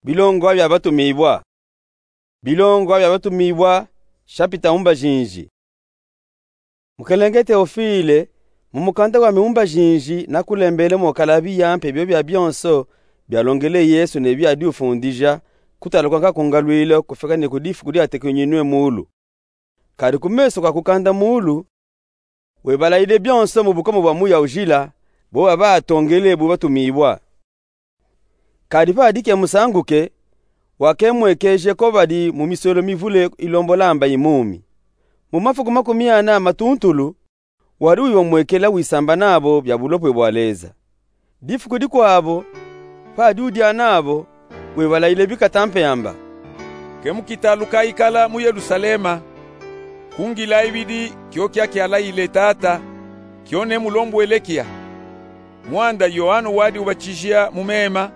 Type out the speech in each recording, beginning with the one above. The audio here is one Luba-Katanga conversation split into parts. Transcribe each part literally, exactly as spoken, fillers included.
Bilongwa bia Batumibwa. Bilongwa bia Batumibwa, shapita umbajinji. Mukelenge Teofile, mu mukanda wami umbajinji nakulembele mwakala biya mpe biobia bionso bialongele Yesu ne biadiufundija, kutaluka nkaku ngalwile kufika ne ku difuku diatekenyinwe muulu. Kadi ku meso ka kukanda muulu, webalayile bionso mu bukoma bwa Muya Ujila, bo babatongele bu batumibwa. Kadi pa dike musanguke, wakemwekeje ko badi mu miswelo mivule ilombola amba imumi. Mu mafuku makumi ana matuntulu, wadi uyomwekela wisamba nabo bia bulopwe bwa Leza. Difuku dikwabo, pa diudia nabo, webalayile bikata mpe amba: Ke mukitaluka ikala mu Yelusalema, ku ngila ibidi kio kia kialayile Tata, kio nemulombwele kia. Mwanda Yoano wadi ubatijia mu mema,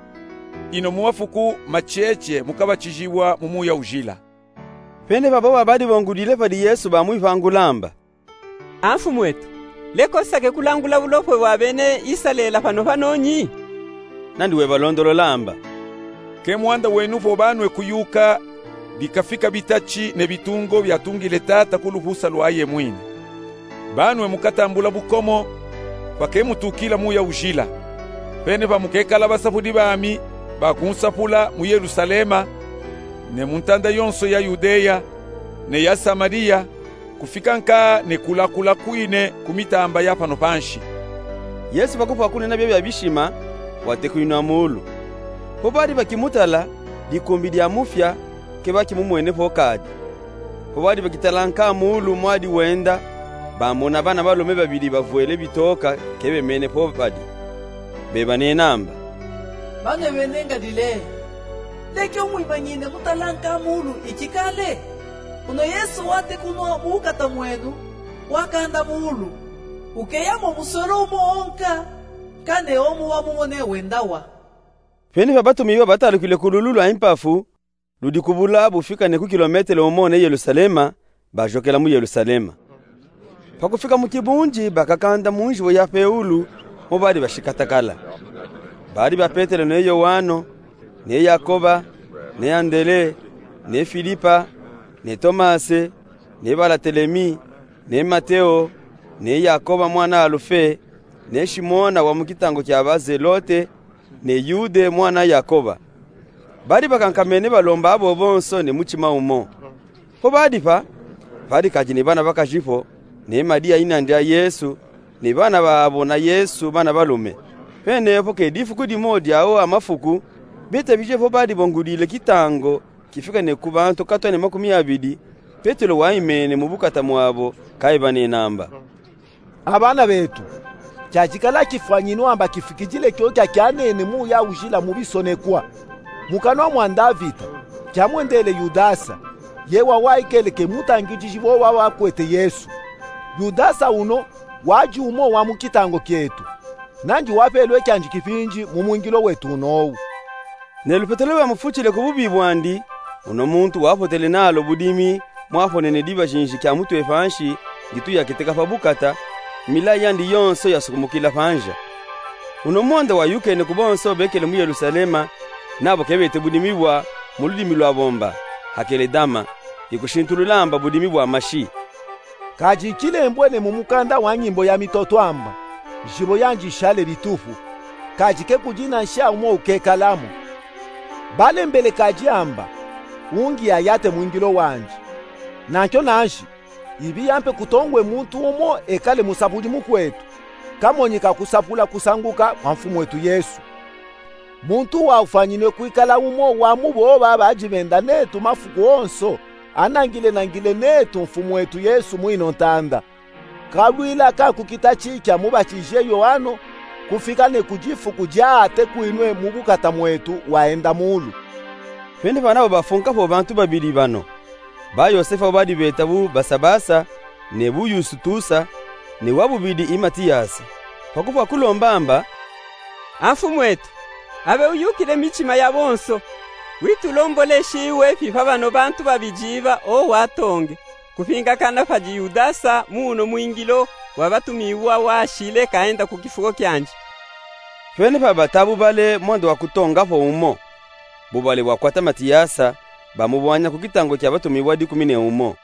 ino mu mafuku macheche mukabatijibwa mu Muya Ujila. Pene pa bo babadi bongudile padi Yesu bamwivangula amba: A Mfumwetu, leka usake kulangula bulopwe bwa bene Isalela pano pano nyi? Nandi webalondolola amba: Ke mwanda wenu vo banwe kuyuka bikafika bitachi ne bitungo biatungile Tata ku luhusa lwaye mwini. Banwe mukatambula bukomo, pa ke mutukila Muya Ujila. Pene pa mukekala basapudi bami ba kunsapula mu Yelusalema, ne mu ntanda yonso ya Yudeya, ne ya Samaliya, kufika nka ne kulakula kwine ku mitamba ya pano panshi. Yesu pa kufwa kunena biobia bishima, watekenyinwa muulu. Po badi bakimutala, dikumbi diamufya, ke bakimumwene po kadi. Po badi bakitala nka muulu mwadi wenda, bamona bana balume babidi bavwele bitoka ke bemene po badi. Bebanena amba: Banwe bene Ngalileya, leke umwimanyine kutala nka muulu ikikale? Uno Yesu watekunwa mu bukata mwenu, wakanda muulu. Ukeya mo muswelo umo onka, kane omo wamumone wendawa. Pene pa batumibwa batalukile ku lulu lwa impafu, ludi kubula bufika ne ku kilometele umo ne Yelusalema, bajokela mu Yelusalema. Pa kufika mu kibunji bakakanda mu njivo ya peulu, mo badi bashikatakala. Badi ba Petelo ne Yoano, ne Yakoba, ne Andele, ne Filipa, ne Tomase, ne Balatelemi, ne Mateo, ne Yakoba mwana Alufe, ne Shimona wa mu kitango kia Bazelote, ne Yude mwana Yakoba. Badi bakankamene balomba abo bonso ne mutima umo. Po badi pa, padi kadi ne bana bakaji po, ne Madiya ina ndia Yesu, ne bana babo na Yesu bana balume. Pene po ke difuku dimo dia awa mafuku, betabije po badi bongudile kitango kifika ne ku bantu katwa ne makumi abidi, Petelo waimene mu bukata mwabo, kaibanena amba: A bana betu, kiajikala kifwanyinu amba kifikidile kio kia kianene Muya Ujila mu bisonekwa, mu kanwa mwa Ndavita, kiamwendele Yudasa, ye wawaikele ke mutangidiji wo wabakwete Yesu. Yudasa uno wadi umo wa mu kitango kietu, nandi wapelwe kiandi kipindi mu mwingilo wetu unowu. Ne lupetelo lwamufutile ku bubi bwandi, uno muntu wapotele nalo budimi, mwaponene dibajinji kia mutwe panshi, ngitu yaketeka pa bukata, milayi yandi yonso yasukumukila panja. Uno mwanda wayukene ku bonso bekele mu Yelusalema, nabo kebete budimi bwa, mu ludimi lwa bomba, Hakeledama, ikushintulula amba budimi bwa mashi. Kadi kilembwene mu mukanda wa nyimbo ya mitoto amba: Njibo yandi ishale bitupu, kadi ke kudina nshia umo ukekala mo. Balembele kadi amba: Ungi ayate mwingilo wandi. Nankio nanshi, ibiya mpe kutongwe muntu umo ekale musapudi mukwetu, kamonyi ka kusapula kusanguka kwa Mfumwetu Yesu. Muntu uwu ufwanyinwe kwikala umo wa mu bo baba badi benda netu mafuku onso, anangile-nangile netu Mfumwetu Yesu mwino ntanda. Kalwila ka ku kitachi kia mubatije Yoano, kufika ne ku difuku diatekwinwe mu bukata mwetu waenda muulu. Pene pa nabo bafunka po bantu babidi bano. Ba Yosefa ubadi beta bu Basabasa, ne bu Yustusa, ne wa bubidi i Matiyasa. Pa kufwa kulomba amba: A Mfumwetu, abe uyukile mitima ya bonso, witulomboleshi iwe pi pa bano bantu babidi ba o watonge, kupingakana padi Yudasa mu uno mwingilo wa batumiwa washile kaenda ku kifuko kiandi. Pene pa bata bubale mwanda wa kutonga po umo. Bubale bwakwata Matiyasa, bamubwanya ku kitango kya batumiwa dikumi ne umo.